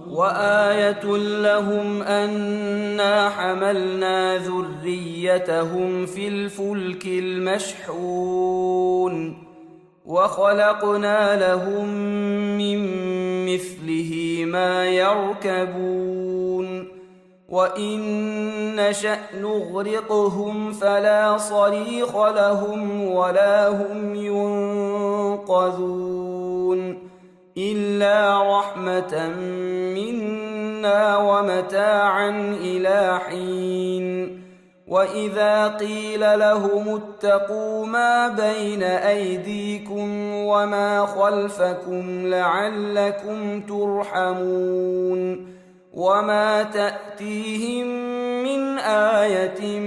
وآية لهم أنا حملنا ذريتهم في الفلك المشحون وخلقنا لهم من مثله ما يركبون وإن نشأ نغرقهم فلا صريخ لهم ولا هم ينقذون إلا رحمة منا ومتاعا إلى حين وإذا قيل لهم اتقوا ما بين أيديكم وما خلفكم لعلكم ترحمون وما تأتيهم من آية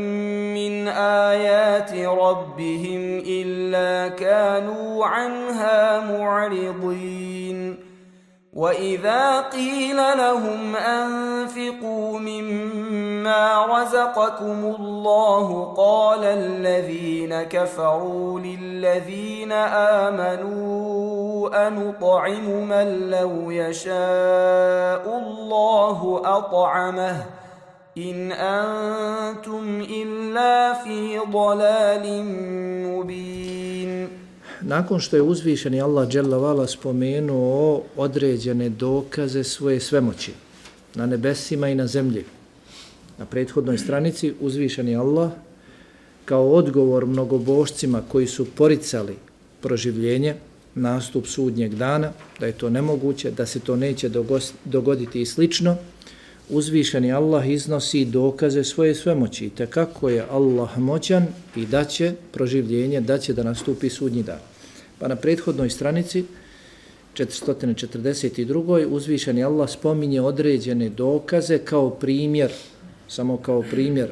من آيات ربهم إلا كانوا عنها معرضين وإذا قيل لهم أنفقوا مما رزقكم الله قال الذين كفروا للذين آمنوا أنطعم من لو يشاء الله أطعمه إن أنتم إلا في ضلال مبين. Nakon što je uzvišeni Allah dželle vala spomenuo određene dokaze svoje svemoći na nebesima i na zemlji, na prethodnoj stranici uzvišeni Allah kao odgovor mnogobožcima koji su poricali proživljenje, nastup sudnjeg dana, da je to nemoguće, da se to neće dogoditi i slično, uzvišeni Allah iznosi dokaze svoje svemoći, te kako je Allah moćan i da će proživljenje, da će da nastupi sudnji dan. Pa na prethodnoj stranici 442. uzvišeni Allah spominje određene dokaze kao primjer, samo kao primjer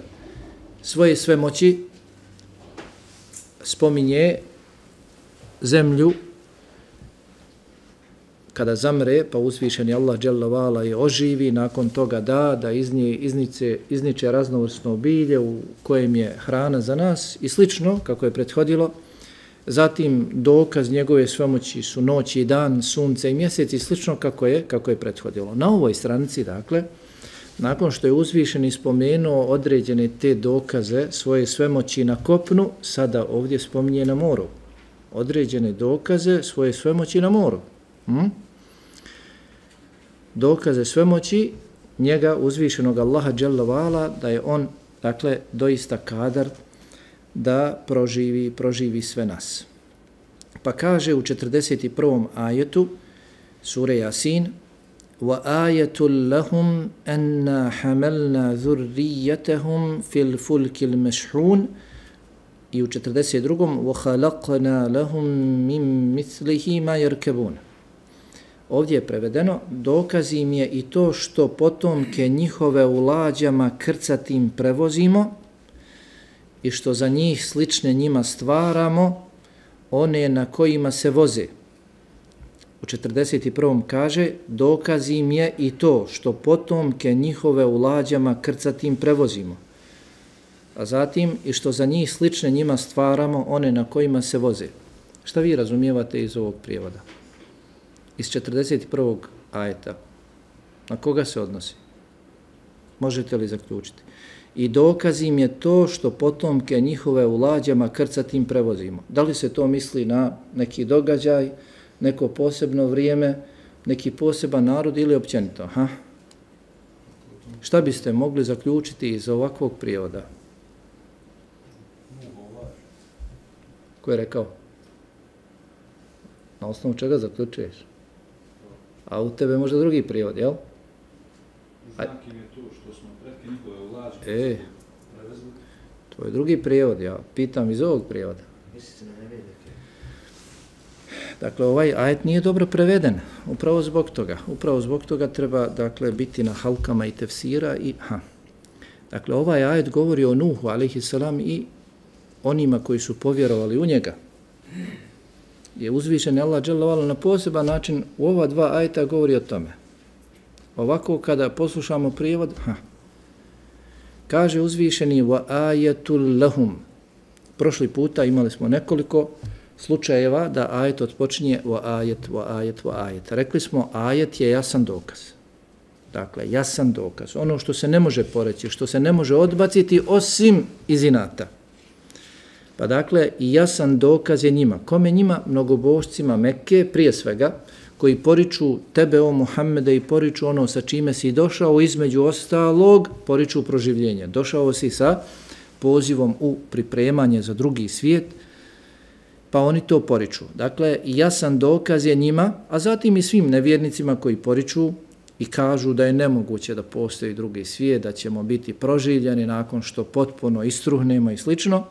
svoje svemoći, spominje zemlju kada zamre, pa uzvišeni Allah dželle vala je oživi, nakon toga da izniče raznovrsno bilje u kojem je hrana za nas i slično, kako je prethodilo. Zatim dokaz njegove svemoći su noć i dan, sunce i mjesec i slično kako je prethodilo. Na ovoj stranici, dakle, nakon što je uzvišeni spomenuo određene te dokaze svoje svemoći na kopnu, sada ovdje spominje na moru. Određene dokaze svoje svemoći na moru. Dokaze svemoći njega uzvišenog Allaha dželle vala, da je on, dakle, doista kadar da proživi sve nas. Pa kaže u 41. ajetu sure Jasin: وَآيَةٌ لَهُمْ أَنَّا حَمَلْنَا ذُرِّيَّتَهُمْ فِي الْفُلْكِ الْمَشْحُونِ i u 42. وَخَلَقْنَا لَهُمْ مِنْ مِثْلِهِ مَا يَرْكَبُونَ. Ovdje je prevedeno: dokaz im je i to što potomke njihove u lađama krcatim prevozimo i što za njih slične njima stvaramo, one na kojima se voze. U 41. kaže: dokaz im je i to što potomke njihove u lađama krcatim prevozimo, a zatim i što za njih slične njima stvaramo, one na kojima se voze. Šta vi razumijevate iz ovog prijevoda? Iz 41. ajeta. Na koga se odnosi? Možete li zaključiti? I dokaz im je to što potomke njihove u lađama krcatim prevozimo. Da li se to misli na neki događaj, neko posebno vrijeme, neki poseban narod ili općenito? Šta biste mogli zaključiti iz ovakvog prijevoda? Ko je rekao? Na osnovu čega zaključuješ? A u tebe možda drugi prijevod, jel? Znak im je to što smo pretke njihove u lađu prevezli. To je drugi prijevod, ja pitam iz ovog prijevoda. Mislite na nevedike? Dakle, ovaj ajet nije dobro preveden, upravo zbog toga. Upravo zbog toga treba, dakle, biti na halkama i tefsira i Dakle, ovaj ajet govori o Nuhu, alejhi selam, i onima koji su povjerovali u njega. Je uzvišen Allah dželle vala na poseban način u ova dva ajeta govori o tome. Ovako kada poslušamo prijevod, kaže uzvišeni wa ayatul lahum. Prošli puta imali smo nekoliko slučajeva da ajet odpočinje wa ajet. Rekli smo, ajet je jasan dokaz. Dakle, jasan dokaz. Ono što se ne može poreći, što se ne može odbaciti osim iz inata. Pa dakle, i jasan dokaz je njima. Kome njima? Mnogobožcima Mekke, prije svega, koji poriču tebe, o Muhammede, i poriču ono sa čime si došao, između ostalog, poriču proživljenje. Došao si sa pozivom u pripremanje za drugi svijet, pa oni to poriču. Dakle, jasan dokaz je njima, a zatim i svim nevjernicima koji poriču i kažu da je nemoguće da postoji drugi svijet, da ćemo biti proživljeni nakon što potpuno istruhnemo i slično.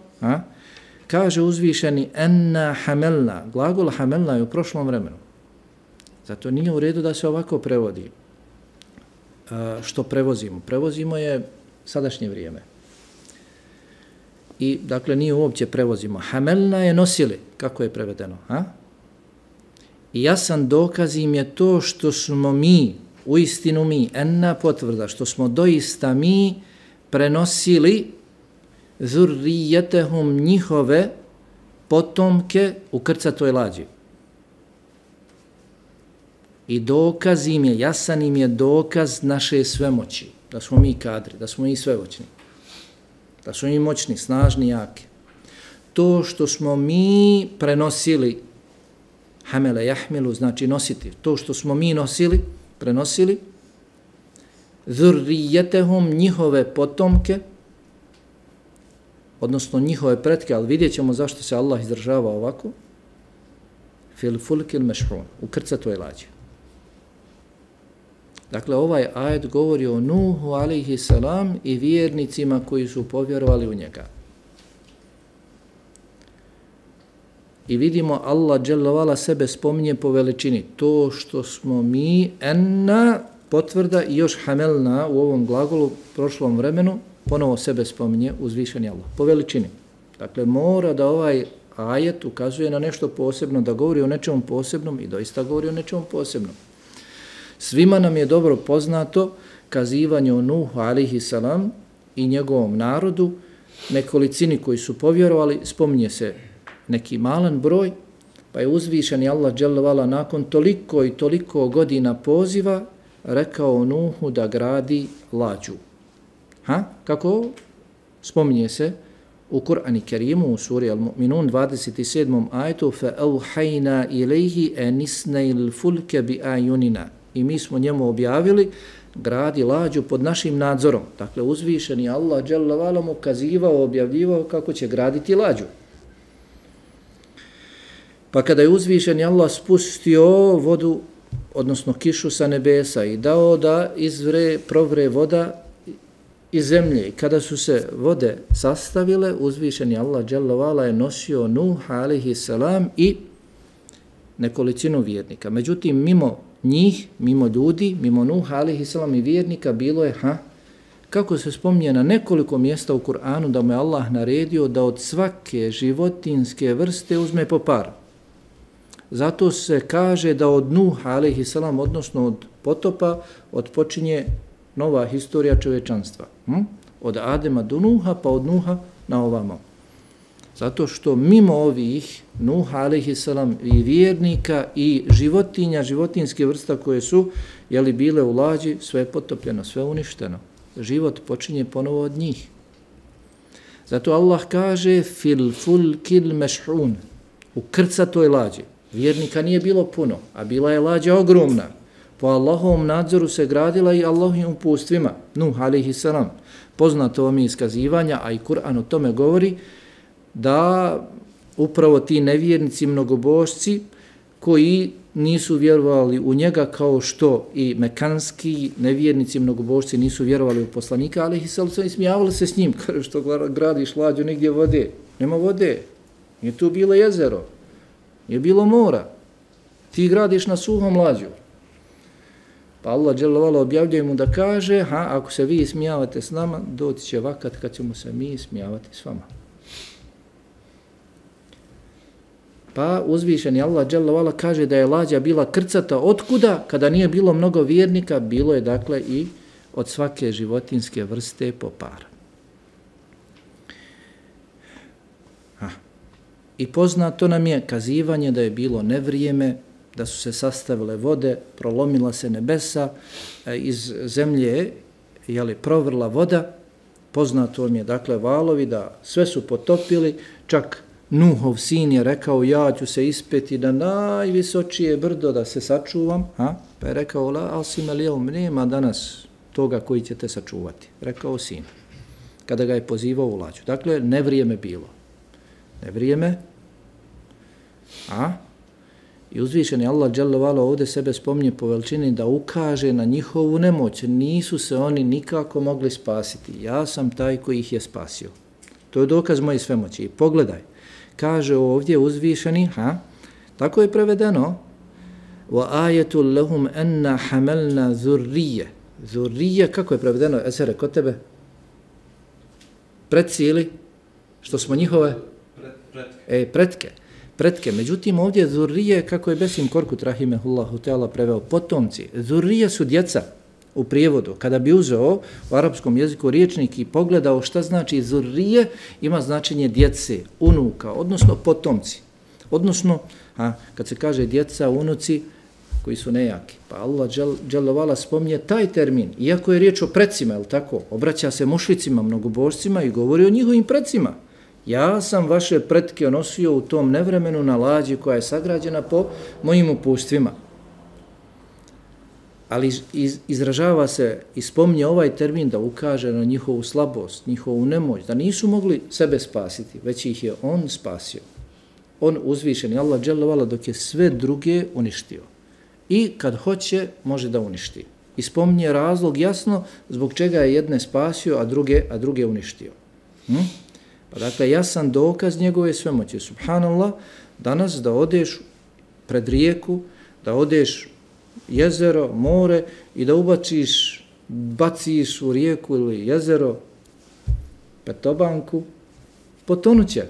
Kaže uzvišeni enna hamelna. Glagol hamelna je u prošlom vremenu. Zato nije u redu da se ovako prevodi. Što prevozimo? Prevozimo je sadašnje vrijeme. I dakle nije uopće prevozimo. Hamelna je nosili. Kako je prevedeno? I jasan dokaz im je to što smo mi, uistinu mi, enna potvrda, što smo doista mi prenosili zurrijetehum njihove potomke u krcatoj lađi. I dokaz im je, jasan im je dokaz naše svemoći, da smo mi kadri, da smo mi svemoćni, da smo mi moćni, snažni, jaki. To što smo mi prenosili, hamele jahmilu, znači nositi, to što smo mi nosili, prenosili, zurrijetehum njihove potomke, odnosno njihove pretke, ali vidjet ćemo zašto se Allah izdržava ovako, fil fulkil mešhun, u krcatoj lađi. Dakle, ovaj ajet govori o Nuhu alejhi selam i vjernicima koji su povjerovali u njega. I vidimo Allah dželle vala sebe spominje po veličini. To što smo mi enna potvrda i još hamelna u ovom glagolu prošlom vremenu, ponovo sebe spominje uzvišeni Allah po veličini. Dakle, mora da ovaj ajet ukazuje na nešto posebno, da govori o nečemu posebnom i doista govori o nečemu posebnom. Svima nam je dobro poznato kazivanje o Nuhu alejhi selam i njegovom narodu, nekolicini koji su povjerovali, spominje se neki malan broj, pa je uzvišeni Allah dželle vala nakon toliko i toliko godina poziva rekao Nuhu da gradi lađu. Kako? Spominje se u Kur'anu Kerimu u suri Al-Mu'minun 27. ajetu فَأَوْحَيْنَا إِلَيْهِ أَنِسْنَيْ الْفُلْكَ بِآيُنِنَا. I mi smo njemu objavili gradi lađu pod našim nadzorom. Dakle, uzvišeni Allah dželle vala mu kazivao, objavljivao kako će graditi lađu. Pa kada je uzvišeni Allah spustio vodu, odnosno kišu sa nebesa i dao da provre voda iz zemlje, i kada su se vode sastavile, uzvišeni Allah dželle vala je nosio Nuh alejhi selam i nekolicinu vjernika. Međutim, mimo njih, mimo ljudi, mimo Nuh alejhi selam i vjernika bilo je, kako se spominje na nekoliko mjesta u Kur'anu, da mu je Allah naredio da od svake životinske vrste uzme po par. Zato se kaže da od Nuh alejhi selam, odnosno od potopa, odpočinje nova historija čovječanstva. Od Adema do Nuha, pa od Nuha na ovamo. Zato što mimo ovih Nuh alejhi selam i vjernika i životinja, životinske vrsta koje su bile u lađi, sve je potopljeno, sve uništeno. Život počinje ponovo od njih. Zato Allah kaže fil fulkil mešhun, u krcatoj lađi. Vjernika nije bilo puno, a bila je lađa ogromna. Po Allahovom nadzoru se gradila i Allahovim upustvima. Nuh alejhi selam. Poznato vam je iskazivanja, a i Kur'an o tome govori, da upravo ti nevjernici, mnogobožci, koji nisu vjerovali u njega, kao što i mekanski nevjernici, mnogobožci nisu vjerovali u poslanika, ali ih se smijavali se s njim, kaže što gradiš lađu negdje vode. Nema vode, nije tu bilo jezero, nije bilo mora, ti gradiš na suhom lađu. Pa Allah dželle vala objavljuje mu da kaže, ako se vi smijavate s nama, doći će vakat kad ćemo se mi smijavati s vama. Pa uzvišeni Allah dželle vala kaže da je lađa bila krcata. Otkuda? Kada nije bilo mnogo vjernika, bilo je dakle i od svake životinske vrste po par. I poznato nam je kazivanje da je bilo nevrijeme, da su se sastavile vode, prolomila se nebesa, iz zemlje je provrla voda, poznato vam je dakle valovi da sve su potopili, čak Nuhov sin je rekao ja ću se ispeti na najvisočije brdo da se sačuvam, pa je rekao la asim el jevm, nema danas toga koji će te sačuvati, rekao sin, kada ga je pozivao u lađu. Dakle, nevrijeme bilo. Nevrijeme, i uzvišeni Allah dželle vala ovdje sebe spominje po veličini da ukaže na njihovu nemoć. Nisu se oni nikako mogli spasiti. Ja sam taj koji ih je spasio. To je dokaz moje svemoći. I pogledaj, kaže ovdje uzvišeni, tako je prevedeno, wa ayatul lahum anna hamalna zurriye. Zurriye, kako je prevedeno, Esere, kod tebe? Predcijeli, što smo njihove? Pretke. Međutim, ovdje zurrije, kako je Besim Korkut, rahimehullahu ta'ala, preveo, potomci. Zurrije su djeca u prijevodu. Kada bi uzeo u arapskom jeziku riječnik i pogledao šta znači zurrije, ima značenje djece, unuka, odnosno potomci. Odnosno, kad se kaže djeca, unuci, koji su nejaki. Pa Allah dželle vala spominje taj termin, iako je riječ o precima, je li tako? Obraća se mušricima, mnogobožcima i govori o njihovim precima. Ja sam vaše pretke nosio u tom nevremenu na lađi koja je sagrađena po mojim upustvima. Ali izražava se i spominje ovaj termin da ukaže na njihovu slabost, njihovu nemoć, da nisu mogli sebe spasiti, već ih je on spasio. On uzvišeni, Allah dželle vala, dok je sve druge uništio. I kad hoće, može da uništi. I spominje razlog jasno zbog čega je jedne spasio, a druge uništio. Pa dakle, jasan dokaz njegove svemoći. Subhanallah, danas da odeš pred rijeku, da odeš jezero, more i da baciš u rijeku ili jezero petobanku, potonuće.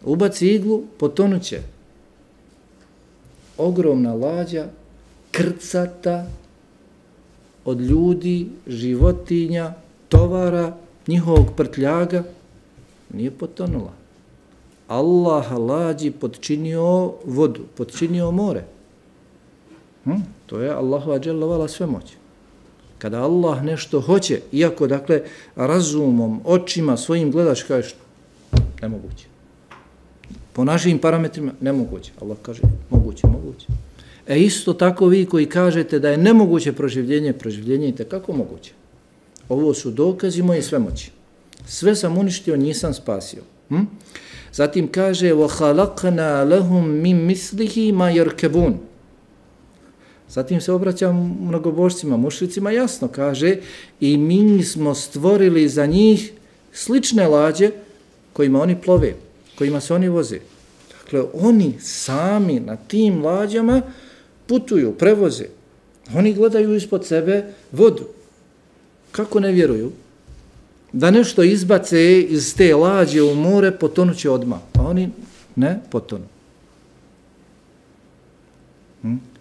Ubaci iglu, potonuće. Ogromna lađa, krcata od ljudi, životinja, tovara, njihovog prtljaga, nije potonula. Allah lađi podčinio vodu, podčinio more. To je Allahova dželle vala svemoć. Kada Allah nešto hoće, iako dakle razumom, očima, svojim gledaš, kažeš nemoguće. Po našim parametrima nemoguće. Allah kaže moguće. Isto tako vi koji kažete da je nemoguće proživljenje je tekako moguće. Ovo su dokazi moje svemoći. Sve sam uništio, nisam spasio. Zatim kaže وَخَلَقْنَا لَهُمْ مِنْ مِثْلِهِ مَا يَرْكَبُونَ. Zatim se obraća mnogobožcima, mušricima, jasno kaže i mi smo stvorili za njih slične lađe kojima oni plove, kojima se oni voze. Dakle, oni sami na tim lađama putuju, prevoze. Oni gledaju ispod sebe vodu. Kako ne vjeruju? Da nešto izbace iz te lađe u more, potonuće odmah. A oni ne potonu.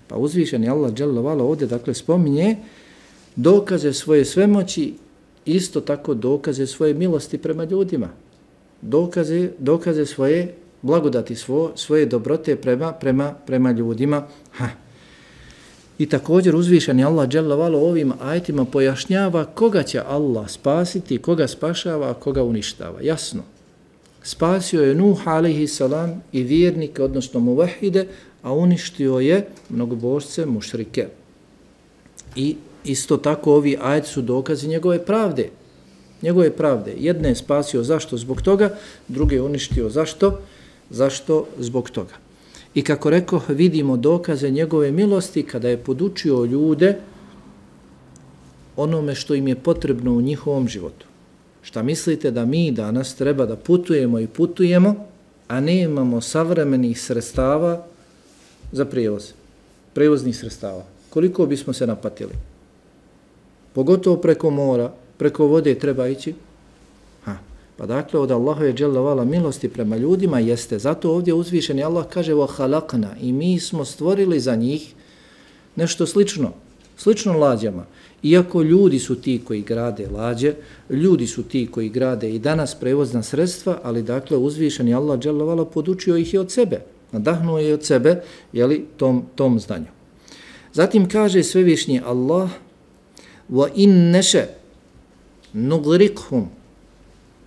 Pa uzvišeni Allah dželle vala ovdje dakle spominje dokaze svoje svemoći, isto tako dokaze svoje milosti prema ljudima. Dokaze svoje blagodati, svoje dobrote prema ljudima. I također uzvišeni Allah dželle vala ovim ajetima pojašnjava koga će Allah spasiti, koga spašava, a koga uništava. Jasno. Spasio je Nuh alejhi salam i vjernike, odnosno muvahide, a uništio je mnogobožce, mušrike. I isto tako ovi ajeti su dokazi njegove pravde. Njegove pravde. Jedne je spasio zašto? Zbog toga, druge je uništio zašto? Zašto? Zbog toga. I kako rekoh, vidimo dokaze njegove milosti kada je podučio ljude onome što im je potrebno u njihovom životu. Šta mislite da mi danas treba da putujemo, a ne imamo savremenih sredstava za prijevoz, prevoznih sredstava? Koliko bismo se napatili? Pogotovo preko mora, preko vode treba ići. Pa dakle, od Allahove dželle vala milosti prema ljudima jeste. Zato ovdje uzvišeni Allah kaže وَحَلَقْنَا i mi smo stvorili za njih nešto slično. Slično lađama. Iako ljudi su ti koji grade lađe, ljudi su ti koji grade i danas prevozna sredstva, ali dakle uzvišeni Allah dželle ve ala podučio ih je od sebe, nadahnuo je od sebe, jeli, tom znanju. Zatim kaže svevišnji Allah: "Wa in nasha nugriqhum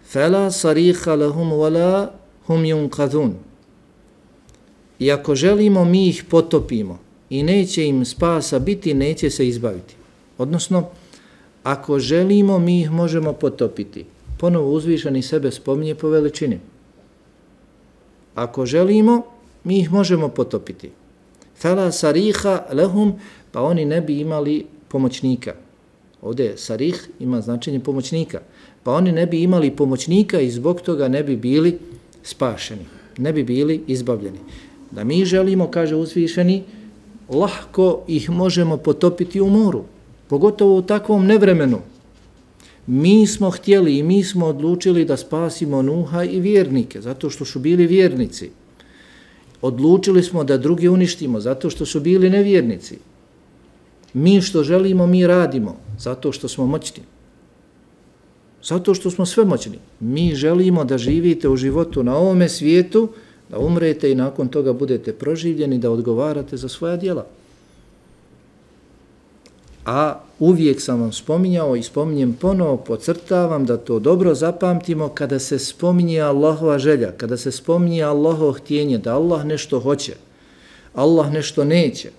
fala sarikha lahum wala hum yunqadhun." I ako želimo, mi ih potopimo i neće im spasa biti, neće se izbaviti. Odnosno, ako želimo, mi ih možemo potopiti. Ponovo uzvišeni sebe spominje po veličini. Ako želimo, mi ih možemo potopiti. Fala sariha lahum, pa oni ne bi imali pomoćnika. Ovdje sarih ima značenje pomoćnika. Pa oni ne bi imali pomoćnika i zbog toga ne bi bili spašeni. Ne bi bili izbavljeni. Da mi želimo, kaže uzvišeni, lahko ih možemo potopiti u moru. Pogotovo u takvom nevremenu. Mi smo htjeli i mi smo odlučili da spasimo Nuha i vjernike, zato što su bili vjernici. Odlučili smo da drugi uništimo, zato što su bili nevjernici. Mi što želimo, mi radimo, zato što smo moćni. Zato što smo svemoćni. Mi želimo da živite u životu na ovome svijetu, da umrete i nakon toga budete proživljeni, da odgovarate za svoja djela. A uvijek sam vam spominjao i spominjem ponovo, podcrtavam da to dobro zapamtimo kada se spominje Allahova želja, kada se spominje Allahovo htjenje, da Allah nešto hoće, Allah nešto neće,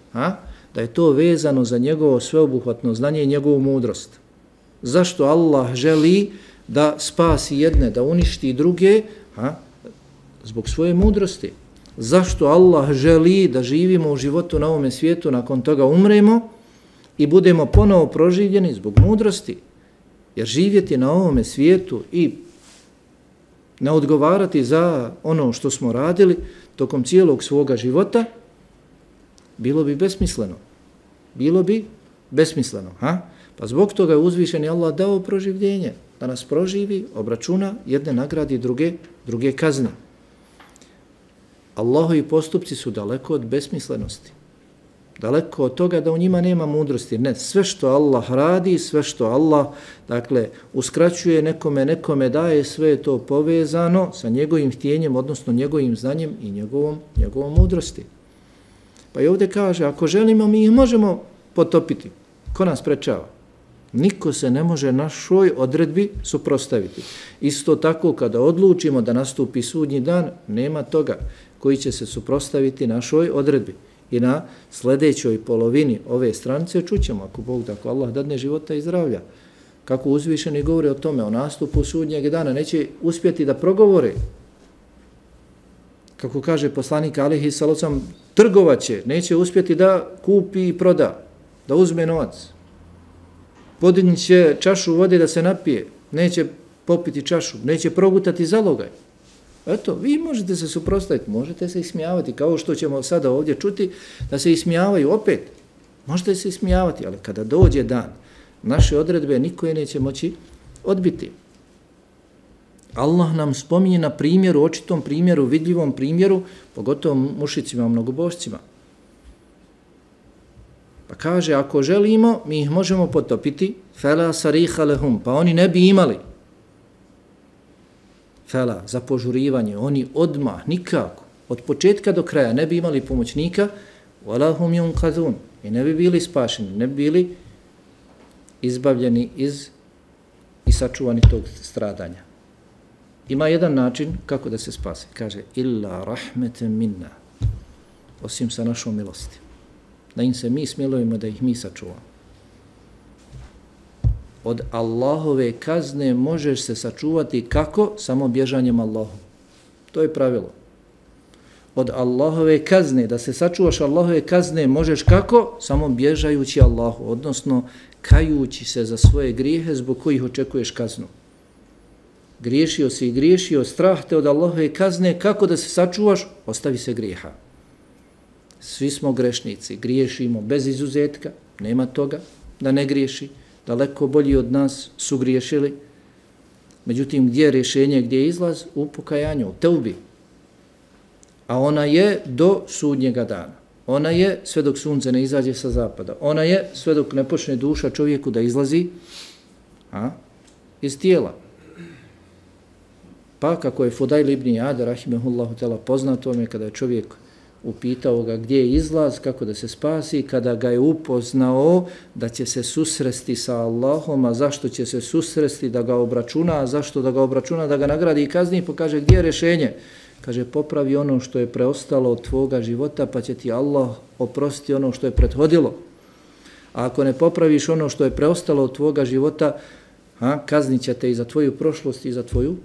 da je to vezano za njegovo sveobuhvatno znanje i njegovu mudrost. Zašto Allah želi da spasi jedne, da uništi druge? Zbog svoje mudrosti. Zašto Allah želi da živimo u životu na ovome svijetu, nakon toga umremo i budemo ponovo proživljeni? Zbog mudrosti. Jer živjeti na ovome svijetu i ne odgovarati za ono što smo radili tokom cijelog svoga života, bilo bi besmisleno. Bilo bi besmisleno. Pa zbog toga je uzvišeni Allah dao proživljenje. Da nas proživi, obračuna, jedne nagradi, druge kazne. Allahovi postupci su daleko od besmislenosti. Daleko od toga da u njima nema mudrosti. Ne, sve što Allah radi, sve što Allah, dakle, uskraćuje nekome daje, sve je to povezano sa njegovim htjenjem, odnosno njegovim znanjem i njegovom mudrosti. Pa i ovdje kaže, ako želimo, mi ih možemo potopiti. Ko nas sprečava? Niko se ne može našoj odredbi suprotstaviti. Isto tako, kada odlučimo da nastupi sudnji dan, nema toga koji će se suprotstaviti našoj odredbi. I na sljedećoj polovini ove stranice čućemo, ako Bog da, ako Allah dadne života i zdravlja, kako uzvišeni govori o tome, o nastupu sudnjeg dana, neće uspjeti da progovore. Kako kaže poslanik alejhi selatu vesselam, trgovaće, neće uspjeti da kupi i proda, da uzme novac. Podignit će čašu vode da se napije, neće popiti čašu, neće progutati zalogaj. Eto, vi možete se suprotstaviti, možete se ismijavati, kao što ćemo sada ovdje čuti, da se ismijavaju opet. Možete se ismijavati, ali kada dođe dan, naše odredbe niko je neće moći odbiti. Allah nam spominje na primjeru, očitom primjeru, vidljivom primjeru, pogotovo mušicima, mnogobošcima. Pa kaže, ako želimo, mi ih možemo potopiti, fela sariha lehum, pa oni ne bi imali. Fela, za požurivanje, oni odmah, nikako, od početka do kraja ne bi imali pomoćnika, wala hum yunqadhun, i ne bi bili spašeni, ne bi bili izbavljeni i sačuvani tog stradanja. Ima jedan način kako da se spase. Kaže, illa rahmeten minna, osim sa našom milosti. Da im se mi smilujemo, da ih mi sačuvamo. Od Allahove kazne možeš se sačuvati kako? Samo bježanjem Allahu. To je pravilo. Od Allahove kazne, da se sačuvaš Allahove kazne, možeš kako? Samo bježajući Allahu, odnosno kajući se za svoje grijehe zbog kojih očekuješ kaznu. Griješio si i griješio, strah te od Allahove kazne, kako da se sačuvaš? Ostavi se grijeha. Svi smo grešnici, griješimo bez izuzetka, nema toga da ne griješi. Daleko bolji od nas su griješili. Međutim, gdje je rješenje, gdje je izlaz? U pokajanju, u teubi. A ona je do sudnjega dana. Ona je sve dok sunce ne izađe sa zapada. Ona je sve dok ne počne duša čovjeku da izlazi iz tijela. Pa kako je Fudajl ibn Iyad rahimehullahu ta'ala poznato je kada je čovjek upitao ga gdje je izlaz, kako da se spasi, kada ga je upoznao da će se susresti sa Allahom, a zašto će se susresti, da ga obračuna, a zašto da ga obračuna, da ga nagradi i kazni, pa kaže gdje je rješenje? Kaže popravi ono što je preostalo od tvoga života, pa će ti Allah oprostiti ono što je prethodilo. A ako ne popraviš ono što je preostalo od tvoga života, kaznit će te i za tvoju prošlost i za tvoju,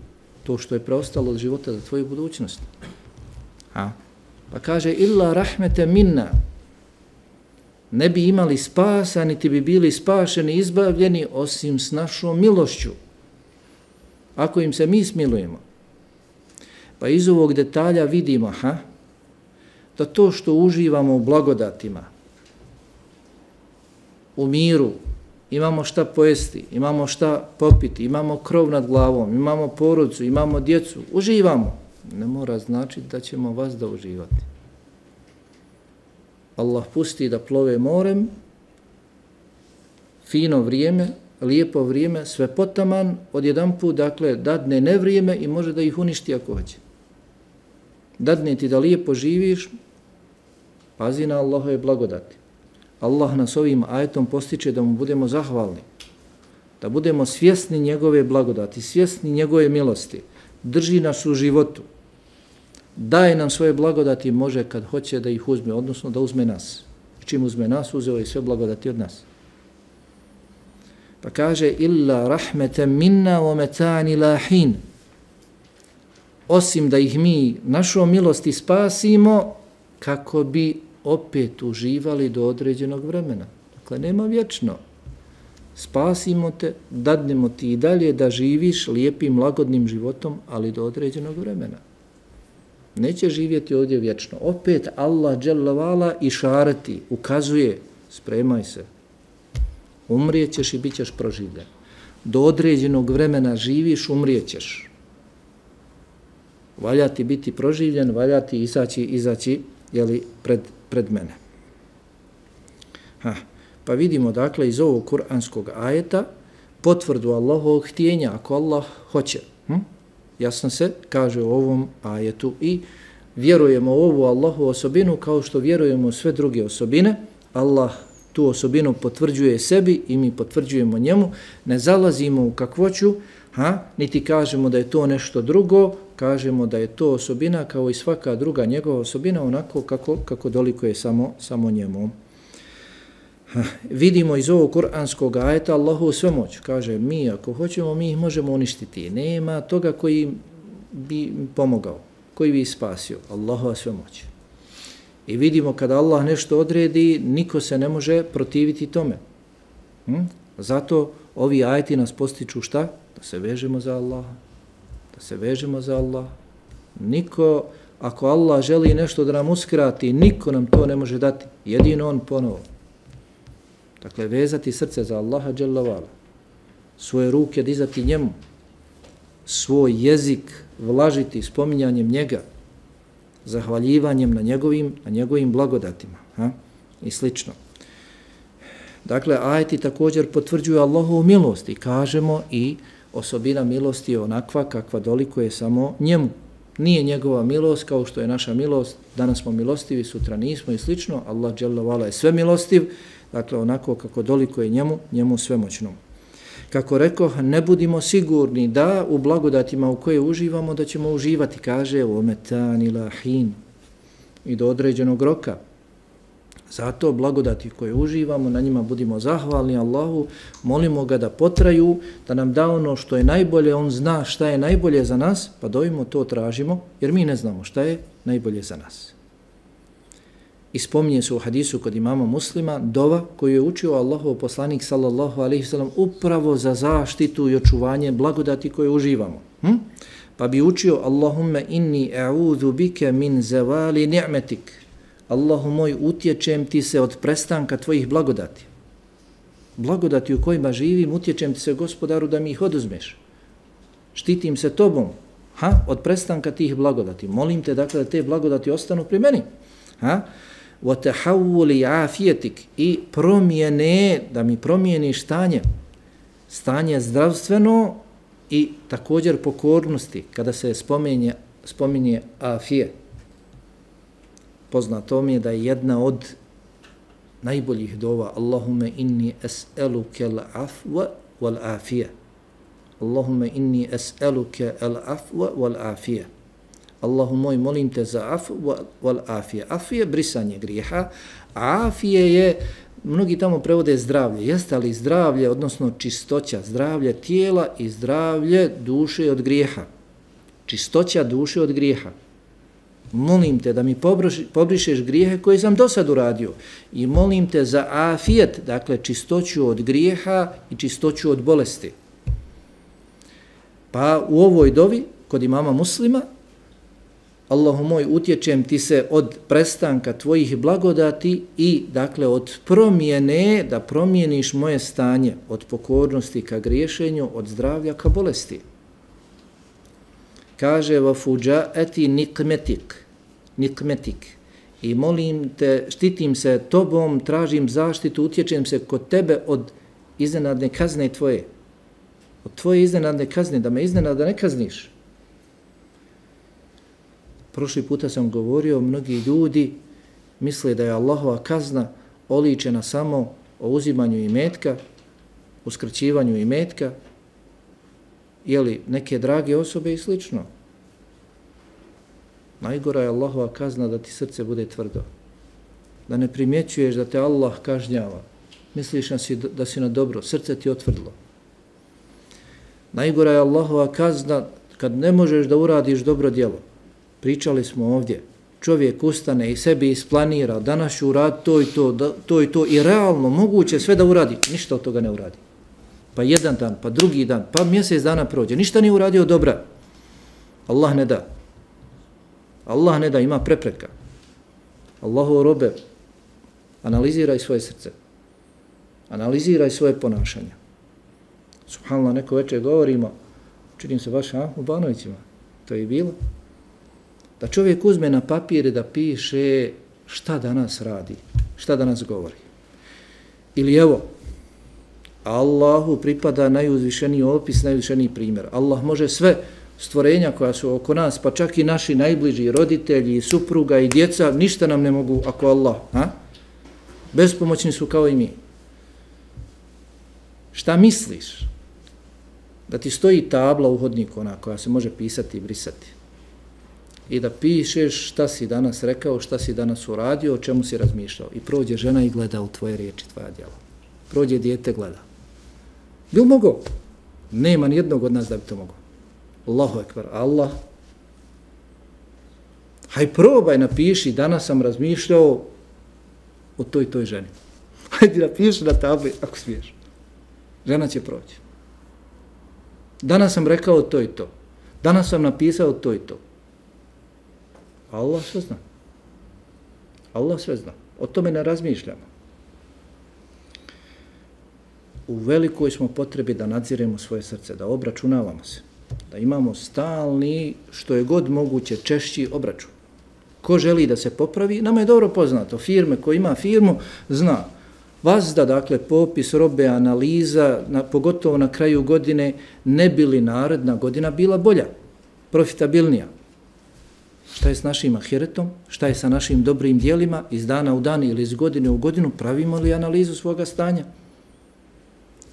to što je preostalo od života, za tvoju budućnost. Pa kaže, illa rahmete minna, ne bi imali spasa, niti bi bili spašeni, izbavljeni, osim s našom milošću. Ako im se mi smilujemo. Pa iz ovog detalja vidimo, da to što uživamo u blagodatima, u miru, imamo šta pojesti, imamo šta popiti, imamo krov nad glavom, imamo porodicu, imamo djecu, uživamo. Ne mora značiti da ćemo vas da uživati. Allah pusti da plove morem, fino vrijeme, lijepo vrijeme, sve potaman, odjedanput, dakle, dadne nevrijeme i može da ih uništi ako hoće. Dadne ti da lijepo živiš, pazi na Allahove blagodati. Allah nas ovim ajetom postiče da mu budemo zahvalni, da budemo svjesni njegove blagodati, svjesni njegove milosti, drži nas u životu, daje nam svoje blagodati, može kad hoće da ih uzme, odnosno da uzme nas. Čim uzme nas, uzeo je sve blagodati od nas. Pa kaže, illa rahmetem minna wa metani lahin. Osim da ih mi našom milosti spasimo, kako bi opet uživali do određenog vremena. Dakle, nema vječno. Spasimo te, dadnemo ti i dalje da živiš lijepim, lagodnim životom, ali do određenog vremena. Neće živjeti ovdje vječno. Opet Allah dželle vala išareti, ukazuje, spremaj se. Umrijećeš i bit ćeš proživljen. Do određenog vremena živiš, umrijećeš. Valja ti biti proživljen, valja ti izaći jeli, pred mene. Pa vidimo dakle iz ovog kuranskog ajeta potvrdu Allahovog htjenja, ako Allah hoće. Jasno se kaže u ovom ajetu i vjerujemo u ovu Allahovu osobinu kao što vjerujemo u sve druge osobine. Allah tu osobinu potvrđuje sebi i mi potvrđujemo njemu. Ne zalazimo u kakvoću, niti kažemo da je to nešto drugo, kažemo da je to osobina kao i svaka druga njegova osobina onako kako dolikuje samo njemu. Vidimo iz ovog kuranskog ajeta Allahu svemoć. Kaže, mi ako hoćemo, mi ih možemo uništiti. Nema toga koji bi pomogao, koji bi spasio. Allahu svemoć. I vidimo kada Allah nešto odredi, niko se ne može protiviti tome. Zato ovi ajeti nas postiču šta? Da se vežemo za Allaha. Da se vežemo za Allaha. Niko, ako Allah želi nešto da nam uskrati, niko nam to ne može dati. Jedino on ponovo. Dakle, vezati srce za Allaha dželle vala, svoje ruke dizati njemu, svoj jezik vlažiti spominjanjem njega, zahvaljivanjem na njegovim blagodatima i slično. Dakle, ajeti također potvrđuju Allahovu milost i kažemo i osobina milosti je onakva kakva dolikuje samo njemu. Nije njegova milost kao što je naša milost, danas smo milostivi, sutra nismo i slično. Allah dželle vala je sve milostiv, dakle onako kako dolikuje njemu svemoćnom. Kako rekao, ne budimo sigurni da u blagodatima u koje uživamo da ćemo uživati, kaže ometani lahin i do određenog roka. Zato blagodati koje uživamo, na njima budimo zahvalni Allahu, molimo ga da potraju, da nam da ono što je najbolje, on zna šta je najbolje za nas, pa dovimo to tražimo, jer mi ne znamo šta je najbolje za nas. I spominje se u hadisu kod imama Muslima dova koju je učio Allahov poslanik sallallahu alejhi ve sellem upravo za zaštitu i očuvanje blagodati koje uživamo. Pa bi učio Allahumma inni a'udhu bika min zawali ni'matik. Allahu moj, utječem ti se od prestanka tvojih blagodati. Blagodati u kojima živim, utječem ti se, Gospodaru, da mi ih oduzmeš. Štitim se tobom, od prestanka tih blagodati. Molim te, dakle, da te blagodati ostanu pri meni. وَتَحَوُّلِ عَافِيَتِكِ i promjene, da mi promijeniš stanje zdravstveno i također pokornosti, kada se spominje afije. Poznato mi je da je jedna od najboljih dova Allahumme inni es'eluke al-afwa wal-afije. Allahumme inni es'eluke al-afwa wal-afije. Allahu moj, molim te za afu wal-afije. Afije, brisanje grijeha. Afije je, mnogi tamo prevode zdravlje. Jeste li zdravlje, odnosno čistoća, zdravlje tijela i zdravlje duše od grijeha. Čistoća duše od grijeha. Molim te da mi pobrišeš grijehe koje sam do sad uradio. I molim te za afijet, dakle čistoću od grijeha i čistoću od bolesti. Pa u ovoj dovi, kod imama Muslima, Allahu moj, utječem ti se od prestanka tvojih blagodati i, dakle, od promjene, da promijeniš moje stanje, od pokornosti ka griješenju, od zdravlja ka bolesti. Kaže, vafuđaeti nikmetik, i molim te, štitim se tobom, tražim zaštitu, utječem se kod tebe od iznenadne kazne tvoje. Od tvoje iznenadne kazne, da me iznenada ne kazniš. Prošli puta sam govorio, mnogi ljudi misle da je Allahova kazna oličena samo o uzimanju imetka, uskraćivanju imetka, ili neke drage osobe i slično. Najgora je Allahova kazna da ti srce bude tvrdo. Da ne primjećuješ da te Allah kažnjava. Misliš da si na dobro, srce ti otvrdlo. Najgora je Allahova kazna kad ne možeš da uradiš dobro djelo. Pričali smo ovdje. Čovjek ustane i sebi isplanira, danas ću uraditi to i to i realno moguće sve da uradi. Ništa od toga ne uradi. Pa jedan dan, pa drugi dan, pa mjesec dana prođe. Ništa nije uradio dobra. Allah ne da. Allah ne da, ima prepreka. Allahu robe, analiziraj svoje srce. Analiziraj svoje ponašanje. Subhanallah, neko večer govorimo, činim se baš u Banovićima, to je i bilo, da čovjek uzme na papir i da piše šta danas radi, šta danas govori. Ili evo, Allahu pripada najuzvišeniji opis, najuzvišeniji primjer. Allah može sve stvorenja koja su oko nas, pa čak i naši najbliži roditelji, supruga i djeca, ništa nam ne mogu ako Allah. Bespomoćni su kao i mi. Šta misliš? Da ti stoji tabla u hodniku, ona koja se može pisati i brisati. I da pišeš šta si danas rekao, šta si danas uradio, o čemu si razmišljao. I prođe žena i gleda u tvoje riječi, tvoja djela. Prođe dijete, gleda. Bil mogo? Nema nijednog od nas da bi to mogo. Allahu ekber, Allah. Haj probaj, napiši, danas sam razmišljao o toj ženi. Hajde napiši na tabli, ako smiješ. Žena će proći. Danas sam rekao to i to. Danas sam napisao to i to. Allah sve zna. Allah sve zna. O tome ne razmišljamo. U velikoj smo potrebi da nadziremo svoje srce, da obračunavamo se. Da imamo stalni, što je god moguće, češći obračun. Ko želi da se popravi, nama je dobro poznato. Firme, ko ima firmu, zna. Vazda, dakle, popis robe, analiza, pogotovo na kraju godine, ne bi li naredna godina bila bolja, profitabilnija. Šta je s našim ahiretom? Šta je sa našim dobrim dijelima? Iz dana u dan ili iz godine u godinu pravimo li analizu svoga stanja?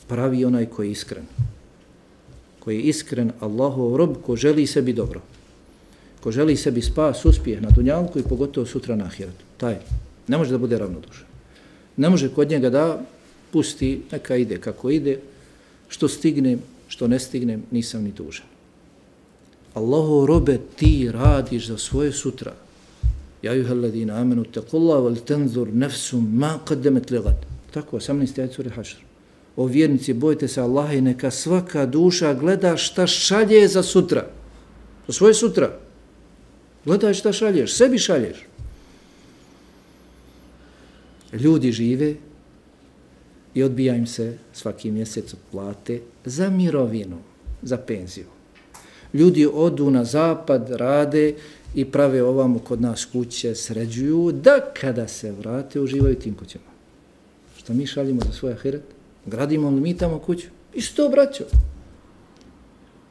Pravi onaj koji je iskren. Koji je iskren Allahov rob, ko želi sebi dobro. Ko želi sebi spas, uspjeh na dunjalku i pogotovo sutra na ahiretu. Taj ne može da bude ravnodušan. Ne može kod njega da pusti, neka ide kako ide, što stignem, što ne stignem, nisam ni dužan. Allahov robe, ti radiš za svoje sutra. Ja juhalladina amenu tequllaha wal tanzur nafsum ma qaddamat ligad. Tako, 18. ajet sure Hašr. O vjernici, bojte se Allaha i neka svaka duša gleda šta šalje za sutra. Za svoje sutra. Gledaj šta šalješ, sebi šalješ. Ljudi žive i odbija im se svaki mjesec od plate za mirovinu, za penziju. Ljudi odu na zapad, rade i prave ovamo kod nas kuće, sređuju, da kada se vrate uživaju tim kućama. Što mi šaljimo za svoj ahiret? Gradimo li mi tamo kuću? I što, braćo?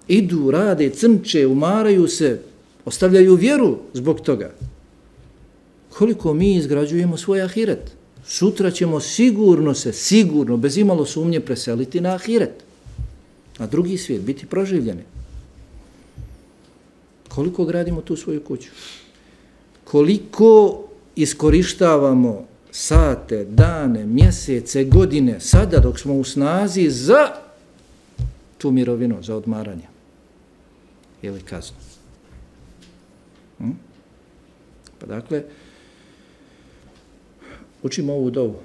Idu, rade, crnče, umaraju se, ostavljaju vjeru zbog toga. Koliko mi izgrađujemo svoj ahiret? Sutra ćemo sigurno, bez imalo sumnje preseliti na ahiret. Na drugi svijet, biti proživljeni. Koliko gradimo tu svoju kuću? Koliko iskorištavamo sate, dane, mjesece, godine, sada dok smo u snazi za tu mirovinu, za odmaranje ili kaznu. Pa dakle, učimo ovu dovu.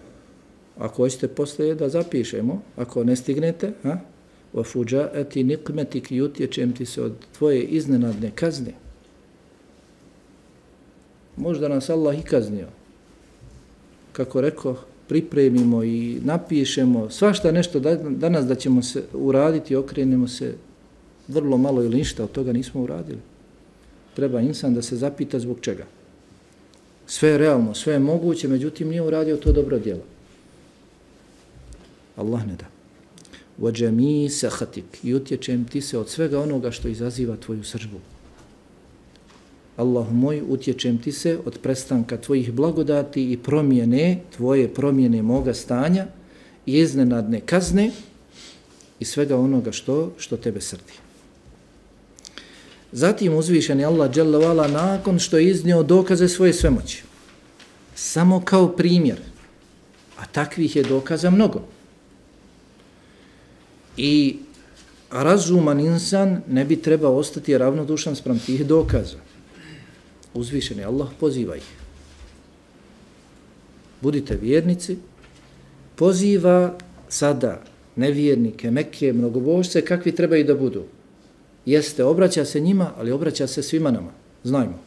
Ako hoćete poslije da zapišemo, ako ne stignete, وَفُجَاءَتِ نِقْمَتِكِ i utječem ti se od tvoje iznenadne kazne. Možda nas Allah i kaznio. Kako rekao, pripremimo i napišemo svašta nešto danas da ćemo se uraditi, okrenemo se vrlo malo ili ništa od toga nismo uradili. Treba insan da se zapita zbog čega. Sve je realno, sve je moguće, međutim nije uradio to dobro djelo. Allah ne da. وَجَمِي سَحَتِكِ i utječem ti se od svega onoga što izaziva tvoju sržbu. Allahu moj, utječem ti se od prestanka tvojih blagodati i tvoje promjene moga stanja i iznenadne kazne i svega onoga što tebe srdi. Zatim uzvišeni Allah dželle ve ala nakon što je iznio dokaze svoje svemoći, samo kao primjer, a takvih je dokaza mnogo. I razuman insan ne bi trebao ostati ravnodušan spram tih dokaza. Uzvišeni Allah poziva ih. Budite vjernici, poziva sada nevjernike, Mekke, mnogobožce, kakvi trebaju da budu. Jeste, obraća se njima, ali obraća se svima nama. Znajmo.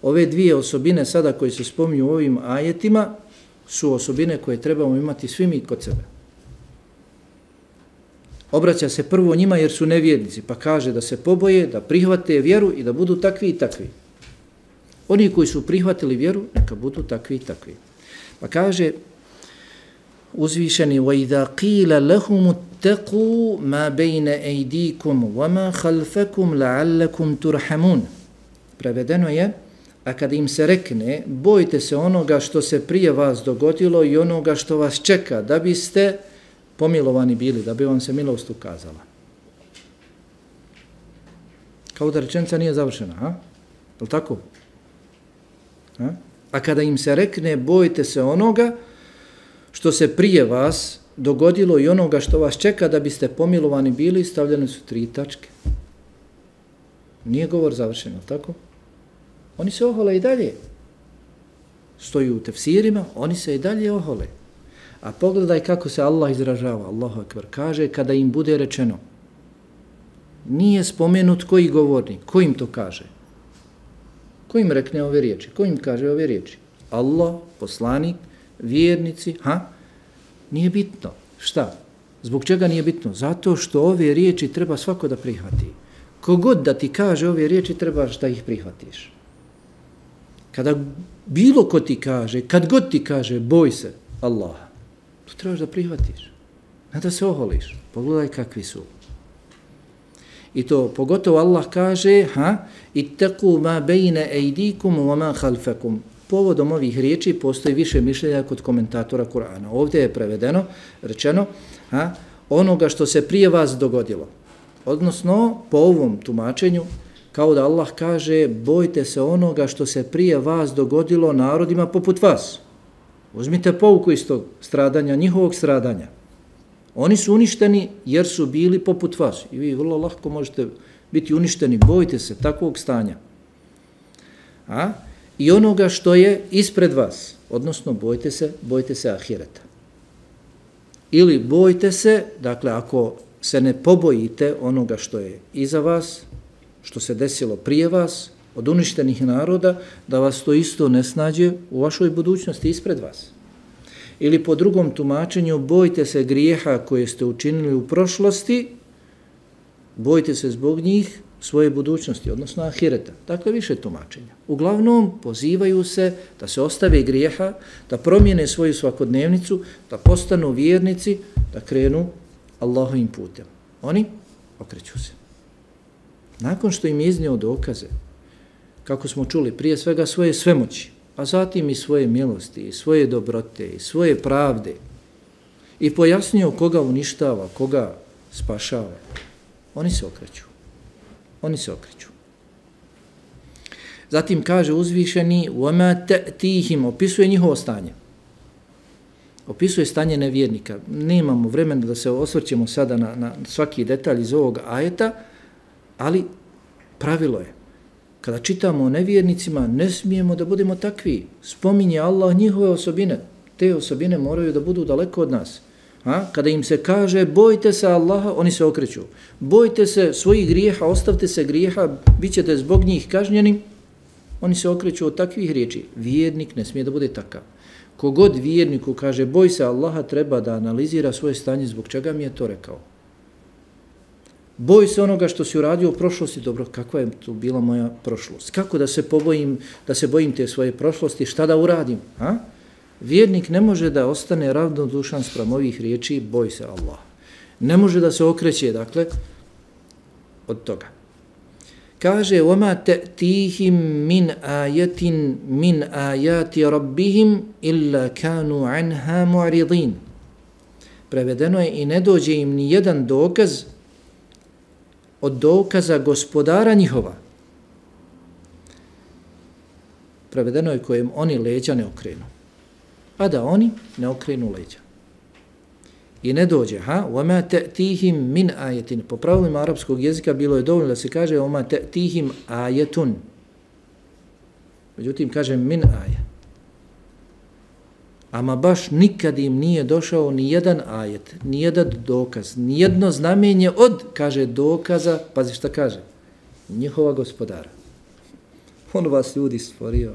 Ove dvije osobine sada koje se spominju u ovim ajetima su osobine koje trebamo imati svi mi kod sebe. Obraća se prvo njima jer su nevjernici, pa kaže da se poboje, da prihvate vjeru i da budu takvi i takvi. Oni koji su prihvatili vjeru, neka budu takvi i takvi. Pa kaže uzvišeni وَإِذَا قِيلَ لَهُمُ اتَّقُوا مَا بَيْنَ أَيْدِيكُمْ وَمَا خَلْفَكُمْ لَعَلَّكُمْ تُرْحَمُونَ. Prevedeno je, a kad im se rekne, bojte se onoga što se prije vas dogodilo i onoga što vas čeka, da biste pomilovani bili, da bi vam se milost ukazala. Kao da rečenica nije završena, a? Je li tako? A kada im se rekne, bojte se onoga što se prije vas dogodilo i onoga što vas čeka da biste pomilovani bili, stavljene su 3 tačke. Nije govor završen, je li tako? Oni se ohole i dalje. Stoju u tefsirima, oni se i dalje ohole. A pogledaj kako se Allah izražava, Allahu ekber, kaže kada im bude rečeno. Nije spomenut koji govornik, ko im to kaže? Ko im rekne ove riječi? Ko im kaže ove riječi? Allah, poslanik, vjernici, Nije bitno. Šta? Zbog čega nije bitno? Zato što ove riječi treba svako da prihvati. Kogod da ti kaže ove riječi, trebaš da ih prihvatiš. Kada bilo ko ti kaže, kad god ti kaže, boj se Allaha, to trebaš da prihvatiš. Ne da se oholiš. Pogledaj kakvi su. I to pogotovo Allah kaže, ittaqu ma bejne ejdikum wa ma khalfakum. Povodom ovih riječi postoji više mišljenja kod komentatora Kur'ana. Ovdje je prevedeno, rečeno, onoga što se prije vas dogodilo. Odnosno, po ovom tumačenju, kao da Allah kaže, bojte se onoga što se prije vas dogodilo narodima poput vas. Uzmite pouku iz tog stradanja, njihovog stradanja. Oni su uništeni jer su bili poput vas. I vi vrlo lako možete biti uništeni. Bojte se takvog stanja. I onoga što je ispred vas. Odnosno, bojte se ahireta. Ili bojte se, dakle, ako se ne pobojite onoga što je iza vas, što se desilo prije vas, od uništenih naroda, da vas to isto ne snađe u vašoj budućnosti ispred vas. Ili po drugom tumačenju, bojte se grijeha koje ste učinili u prošlosti, bojte se zbog njih svoje budućnosti, odnosno ahireta. Dakle, više tumačenja. Uglavnom, pozivaju se da se ostave grijeha, da promijene svoju svakodnevnicu, da postanu vjernici, da krenu Allahovim putem. Oni okreću se. Nakon što im je iznio dokaze, kako smo čuli, prije svega svoje svemoći, a zatim i svoje milosti, i svoje dobrote, i svoje pravde, i pojasnio koga uništava, koga spašava, oni se okreću. Oni se okreću. Zatim kaže uzvišeni وَمَا تَأْتِيهِمْ, opisuje njihovo stanje. Opisuje stanje nevjernika. Nemamo vremena da se osvrćemo sada na svaki detalj iz ovog ajeta, ali pravilo je. Kada čitamo o nevjernicima, ne smijemo da budemo takvi. Spominje Allah njihove osobine. Te osobine moraju da budu daleko od nas. Kada im se kaže bojte se Allaha, oni se okreću. Bojte se svojih grijeha, ostavite se grijeha, bit ćete zbog njih kažnjeni. Oni se okreću od takvih riječi. Vjernik ne smije da bude takav. Kogod vjerniku kaže boj se Allaha, treba da analizira svoje stanje, zbog čega mi je to rekao. Boj se onoga što si uradio u prošlosti. Dobro, kakva je tu bila moja prošlost? Kako da se bojim te svoje prošlosti? Šta da uradim? Vjernik ne može da ostane ravnodušan spram ovih riječi boj se Allah. Ne može da se okreće, dakle, od toga. Kaže وَمَا تَأْتِيهِمْ مِنْ آيَةٍ مِنْ آيَاتِ رَبِّهِمْ إِلَّا كَانُوا عَنْهَا مُعْرِضِينَ. Prevedeno je i ne dođe im ni jedan dokaz od dokaza gospodara njihova. Prevedeno je kojem oni leđa ne okrenu. A da oni ne okrenu leđa. I ne dođe, وَمَا تَأْتِيهِمْ مِنْ آيَةٍ. Po pravilima arapskog jezika bilo je dovoljno da se kaže وَمَا تَأْتِيهِمْ آيَةٌ. Međutim, kaže min aja. Ama baš nikad im nije došao ni jedan ajet, ni jedan dokaz, ni jedno znamenje od, kaže, dokaza, pazi šta kaže, njihova gospodara. On vas ljudi stvorio.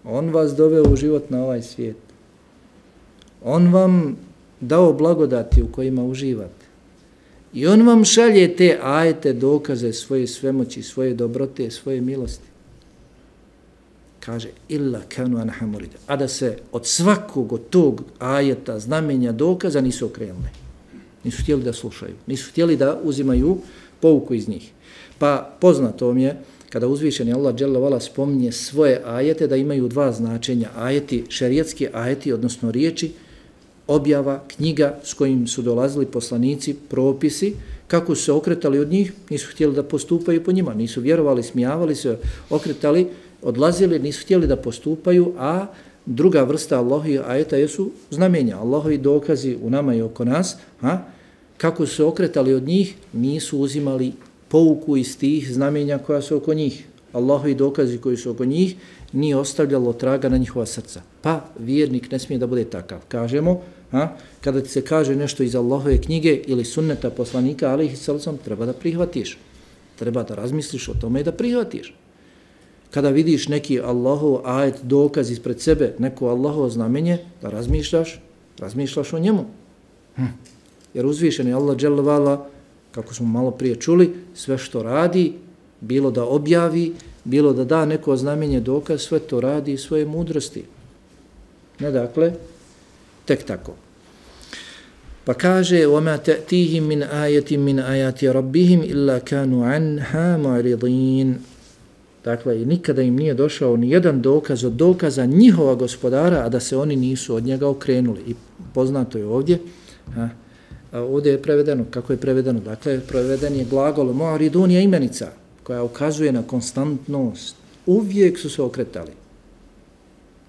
On vas doveo u život na ovaj svijet. On vam dao blagodati u kojima uživate. I on vam šalje te ajete, dokaze svoje svemoći, svoje dobrote, svoje milosti. Kaže, illa kanu anha murida. A da se od svakog od tog ajeta, znamenja, dokaza nisu okrenuli. Nisu htjeli da slušaju. Nisu htjeli da uzimaju pouku iz njih. Pa poznato vam je, kada uzvišeni Allah dželle vala spominje svoje ajete, da imaju dva značenja. Ajeti, šerijatski ajeti, odnosno riječi, objava, knjiga s kojim su dolazili poslanici, propisi, kako su se okretali od njih, nisu htjeli da postupaju po njima, nisu vjerovali, smijavali se, okretali, odlazili, nisu htjeli da postupaju, a druga vrsta Allahovi ajeta jesu znamenja, Allahovi dokazi u nama i oko nas, kako su se okretali od njih, nisu uzimali pouku iz tih znamenja koja su oko njih. Allahovi dokazi koji su oko njih nije ostavljalo traga na njihova srca. Pa vjernik ne smije da bude takav. Kažemo, kada ti se kaže nešto iz Allahove knjige ili sunneta poslanika, alejhi selam, treba da prihvatiš. Treba da razmisliš o tome i da prihvatiš. Kada vidiš neki Allahov ajet, dokaz ispred sebe, neko Allahovo znamenje, da razmišljaš o njemu. Jer uzvišeni Allah dželle vala, kako smo malo prije čuli, sve što radi, bilo da objavi, bilo da da neko znamenje, dokaz, sve to radi iz svoje mudrosti. Ne dakle, tek tako. Pa kaže, وَمَا تَأْتِيهِمْ مِنْ آيَةٍ مِنْ آيَاتِ رَبِّهِمْ إِلَّا كَانُوا عَنْهَا مُعْرِضِينَ. Dakle, i nikada im nije došao ni jedan dokaz od dokaza njihova gospodara, a da se oni nisu od njega okrenuli. I poznato je ovdje, ovdje je prevedeno, kako je prevedeno? Dakle, preveden je glagol mu'ridun je imenica koja ukazuje na konstantnost. Uvijek su se okretali.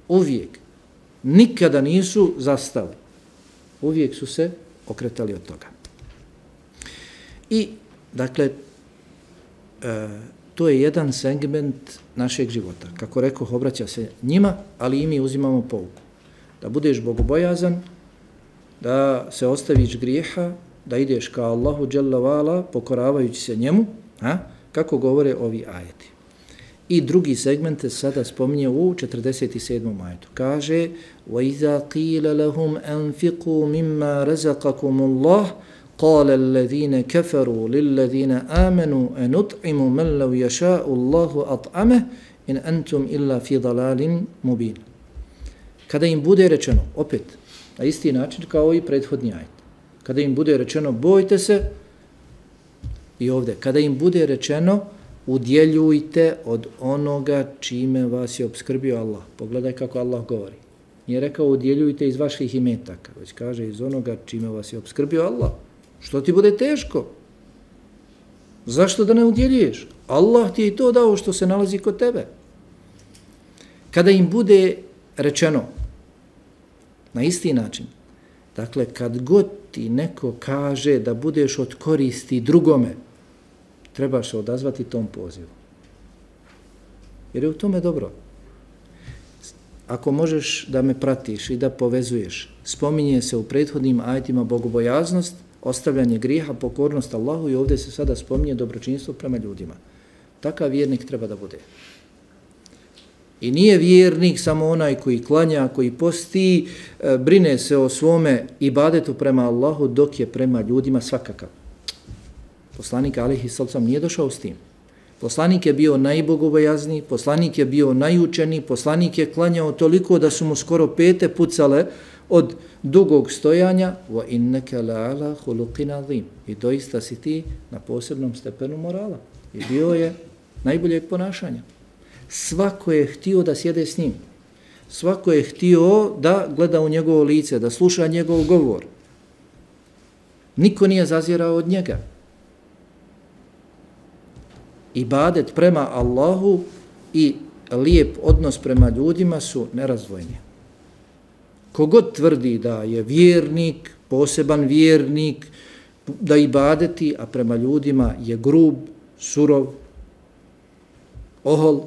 Uvijek. Nikada nisu zastali. Uvijek su se okretali od toga. I, dakle, to je jedan segment našeg života. Kako rekoh, obraća se njima, ali i mi uzimamo pouku. Da budeš bogobojazan, da se ostaviš grijeha, da ideš ka Allahu dželle vala, pokoravajući se njemu, kako govore ovi ajeti. I drugi segment se sada spominje u 47. ajetu. Kaže: وَإِذَا قِيلَ لَهُمْ أَنْفِقُوا مِمَّا رَزَقَكُمُ اللَّهُ قال الذين كفروا للذين آمنوا أنطعم من لو يشاء الله أطعمه إن أنتم إلا في ضلال مبين. Kada im bude rečeno, opet, na isti način kao i prethodni ajet, kada im bude rečeno bojte se, i ovdje, kada im bude rečeno udjeljujte od onoga čime vas je opskrbio Allah. Pogledaj kako Allah govori. Nije rekao udjeljujte iz vaših imetaka, već kaže iz onoga čime vas je opskrbio Allah. Što ti bude teško? Zašto da ne udjeljuješ? Allah ti je i to dao što se nalazi kod tebe. Kada im bude rečeno na isti način, dakle, kad god ti neko kaže da budeš od koristi drugome, trebaš se odazvati tom pozivu. Jer je u tome dobro. Ako možeš da me pratiš i da povezuješ, spominje se u prethodnim ajetima bogobojaznost, ostavljanje grijeha, pokornost Allahu i ovdje se sada spominje dobročinstvo prema ljudima. Takav vjernik treba da bude. I nije vjernik samo onaj koji klanja, koji posti, brine se o svome ibadetu prema Allahu dok je prema ljudima svakakav. Poslanik alejhi sallam nije došao s tim. Poslanik je bio najbogobojazniji, poslanik je bio najučeniji, poslanik je klanjao toliko da su mu skoro pete pucale od dugog stojanja. Wa innaka la'ala khuluqin azim. I doista si ti na posebnom stepenu morala. I bio je najboljeg ponašanja. Svako je htio da sjede s njim. Svako je htio da gleda u njegovo lice, da sluša njegov govor. Niko nije zazirao od njega. Ibadet prema Allahu i lijep odnos prema ljudima su nerazdvojni. Kogod tvrdi da je vjernik, poseban vjernik, da ibadeti, a prema ljudima je grub, surov, ohol,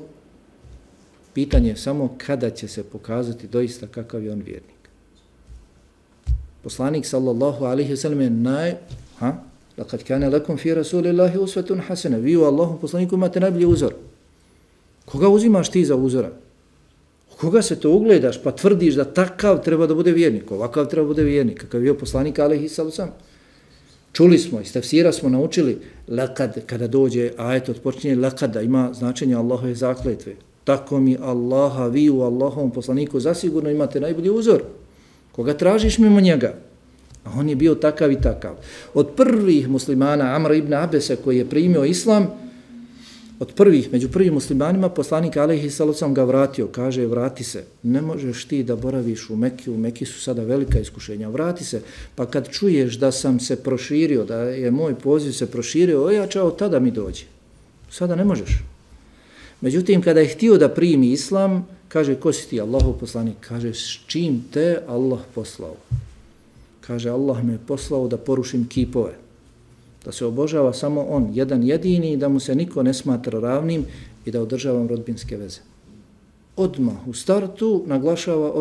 pitanje je samo kada će se pokazati doista kakav je on vjernik. Poslanik sallallahu alejhi ve sellem je laqad kana lakum fi rasulillahi uswatun hasana. Vi u Allahu poslaniku imate najbolji uzor. Koga uzimaš ti za uzora? Koga se to ugledaš pa tvrdiš da takav treba da bude vjernik, ovakav treba da bude vjernik, kakav je bio poslanik alejhi sallam. Čuli smo, iz tefsira smo naučili laqad, kada dođe ajet od počinje laqad, ima značenje Allahove zakletve. Tako mi Allaha, vi u Allahovom poslaniku zasigurno imate najbolji uzor. Koga tražiš mimo njega? A on je bio takav i takav. Od prvih muslimana, Amr ibn Abese, koji je primio islam, među prvim muslimanima, poslanik alejhi sallam ga vratio. Kaže, vrati se, ne možeš ti da boraviš u Mekki, u Mekki su sada velika iskušenja, vrati se, pa kad čuješ da sam se proširio, da je moj poziv se proširio, ojačao, tada mi dođi. Sada ne možeš. Međutim, kada je htio da primi islam, kaže, ko si ti, Allahov poslanik? Kaže, s čim te Allah poslao? Kaže, Allah me je poslao da porušim kipove, da se obožava samo on, jedan jedini, da mu se niko ne smatra ravnim i da održavam rodbinske veze. Odmah u startu naglašava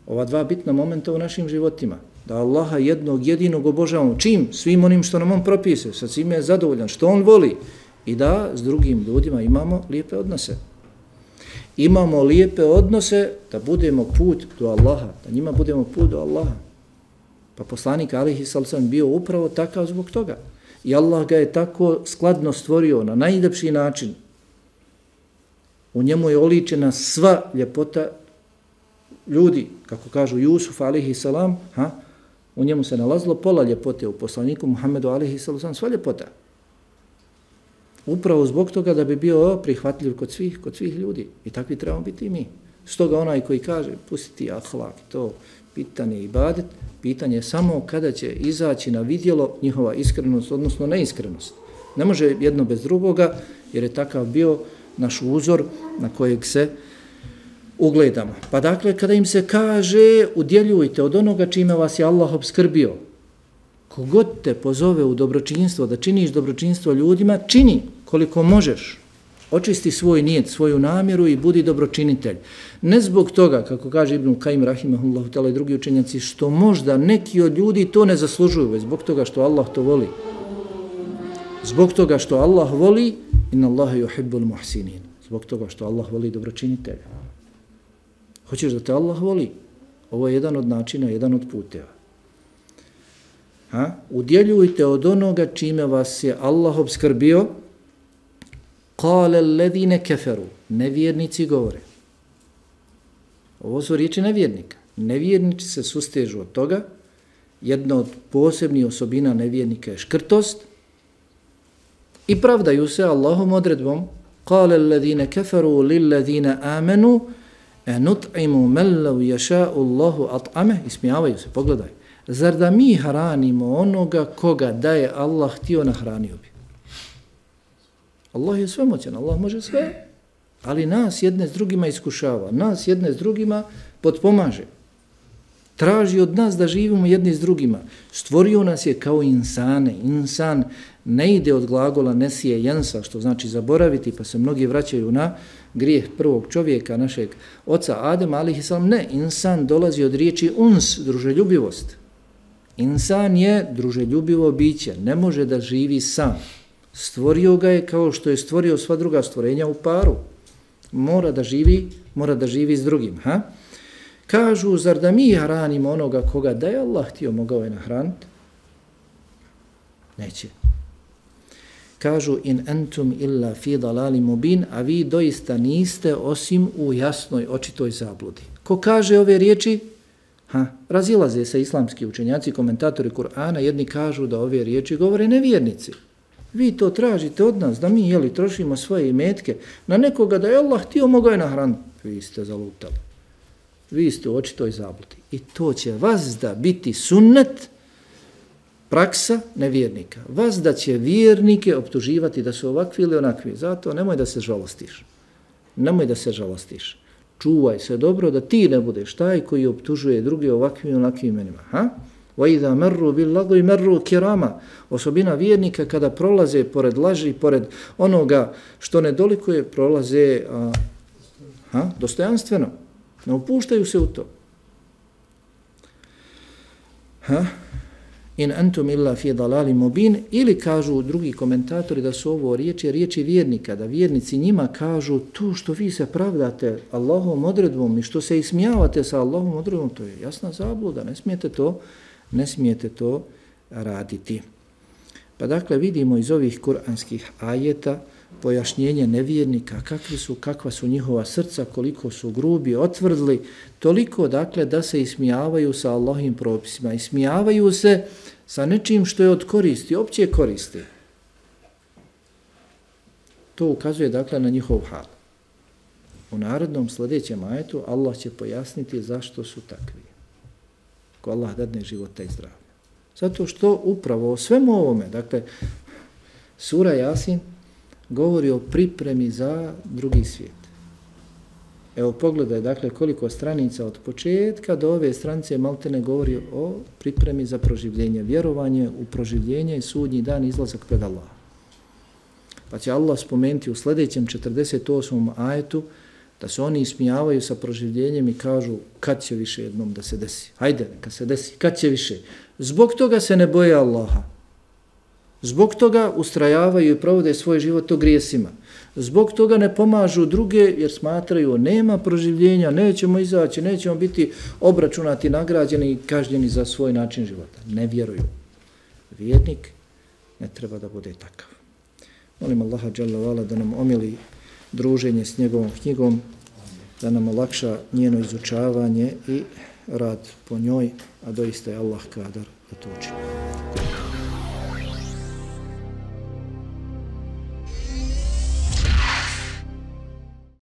ova dva bitna momenta u našim životima. Da Allaha jednog jedinog obožavamo. Čim? Svim onim što nam on propise, sa svime je zadovoljan, što on voli. I da s drugim ljudima imamo lijepe odnose. Imamo lijepe odnose da budemo put do Allaha, da njima budemo put do Allaha. Pa poslanik alejhi sallam bio upravo takav zbog toga. I Allah ga je tako skladno stvorio na najljepši način. U njemu je oličena sva ljepota ljudi, kako kažu Jusuf alejhi salam, u njemu se nalazilo pola ljepote, u poslaniku Muhammedu alejhi salam sva ljepota. Upravo zbog toga da bi bio prihvatljiv kod svih ljudi. I takvi trebamo biti i mi. Stoga onaj koji kaže, pustiti ahlak, to pitanje ibadet, pitanje je samo kada će izaći na vidjelo njihova iskrenost, odnosno neiskrenost. Ne može jedno bez drugoga, jer je takav bio naš uzor na kojeg se ugledamo. Pa dakle, kada im se kaže, udjeljujte od onoga čime vas je Allah obskrbio, kogod te pozove u dobročinstvo, da činiš dobročinstvo ljudima, čini koliko možeš. Očisti svoj nijet, svoju namjeru i budi dobročinitelj. Ne zbog toga, kako kaže Ibn Kajim rahimahullahu ta'ala i drugi učenjaci, što možda neki od ljudi to ne zaslužuju, već zbog toga što Allah to voli. Zbog toga što Allah voli, inna Allaha yuhibbul muhsinin. Zbog toga što Allah voli dobročinitelja. Hoćeš da te Allah voli? Ovo je jedan od načina, jedan od puteva. Udjeljujte od onoga čime vas je Allah obskrbio. Qala alladhina kafaru. Nevjernici govore. Ovo su riječi nevjernika. Nevjernici se sustežu od toga. Jedna od posebnih osobina nevjernika je škrtost. I pravdaju se Allahom odredbom. Qala alladhina kafaru lilladhina amanu nut'imu man law yasha'u Allahu at'ama. Ismijavaju se, pogledaj. Zar da mi hranimo onoga koga da je Allah htio nahranio bi? Allah je svemoćan, Allah može sve, ali nas jedne s drugima iskušava, nas jedne s drugima potpomaže. Traži od nas da živimo jedni s drugima. Stvorio nas je kao insane. Insan ne ide od glagola nesije jensa, što znači zaboraviti, pa se mnogi vraćaju na grijeh prvog čovjeka, našeg oca Adema, ali ne, insan dolazi od riječi uns, druželjubivost. Insan je druželjubivo biće, ne može da živi sam. Stvorio ga je kao što je stvorio sva druga stvorenja u paru. Mora da živi s drugim. Kažu, zar da mi hranimo onoga koga da je Allah htio mogao je nahraniti? Neće. Kažu, in entum illa fi dalali mubin, a vi doista niste osim u jasnoj, očitoj zabludi. Ko kaže ove riječi? Razilaze se islamski učenjaci, komentatori Kur'ana, jedni kažu da ove riječi govore nevjernici. Vi to tražite od nas, da mi trošimo svoje imetke na nekoga da je Allah htio mogao je nahraniti. Vi ste zalutali. Vi ste u očitoj zabludi. I to će vas da biti sunnet, praksa nevjernika. Vas da će vjernike optuživati da su ovakvi ili onakvi. Zato nemoj da se žalostiš. Nemoj da se žalostiš. Čuvaj se dobro da ti ne budeš taj koji optužuje druge ovakvim i onakvim imenima. وَإِذَا مَرُّوا بِاللَّغْوِ مَرُّوا كِرَامًا. Osobina vjernika kada prolaze pored laži, pored onoga što ne dolikuje, prolaze dostojanstveno. Ne upuštaju se u to. In antum illa fi dalali mubin, ili kažu drugi komentatori da su ovo riječi vjernika, da vjernici njima kažu to što vi se pravdate Allahovom odredbom i što se ismijavate sa Allahovom odredbom, to je jasna zabluda, ne smijete to raditi. Pa dakle vidimo iz ovih kuranskih ajeta pojašnjenje nevjernika, kakva su njihova srca, koliko su grubi, otvrdli, toliko dakle da se ismijavaju sa Allahovim propisima, ismijavaju se sa nečim što je od koristi, opće koristi. To ukazuje dakle na njihov hal. U narednom sljedećem ajetu Allah će pojasniti zašto su takvi. Ko Allah dadne života i zdravlja. Zato što upravo o svemu ovome, dakle, sura Jasin govori o pripremi za drugi svijet. Evo pogledaj, dakle, koliko stranica od početka do ove stranice maltene govori o pripremi za proživljenje, vjerovanje u proživljenje i sudnji dan izlazak pred Allah. Pa će Allah spomenuti u sljedećem 48. ajetu da se oni ismijavaju sa proživljenjem i kažu kad će više jednom da se desi. Hajde, neka se desi, kad će više. Zbog toga se ne boje Allaha. Zbog toga ustrajavaju i provode svoj život u grijesima. Zbog toga ne pomažu druge jer smatraju nema proživljenja, nećemo izaći, nećemo biti obračunati, nagrađeni i kažnjeni za svoj način života. Ne vjeruju. Vjernik ne treba da bude takav. Molim Allaha dželle ve ala da nam omili druženje s njegovom knjigom, da nam olakša njeno izučavanje i rad po njoj, a doista je Allah kadar da to učini.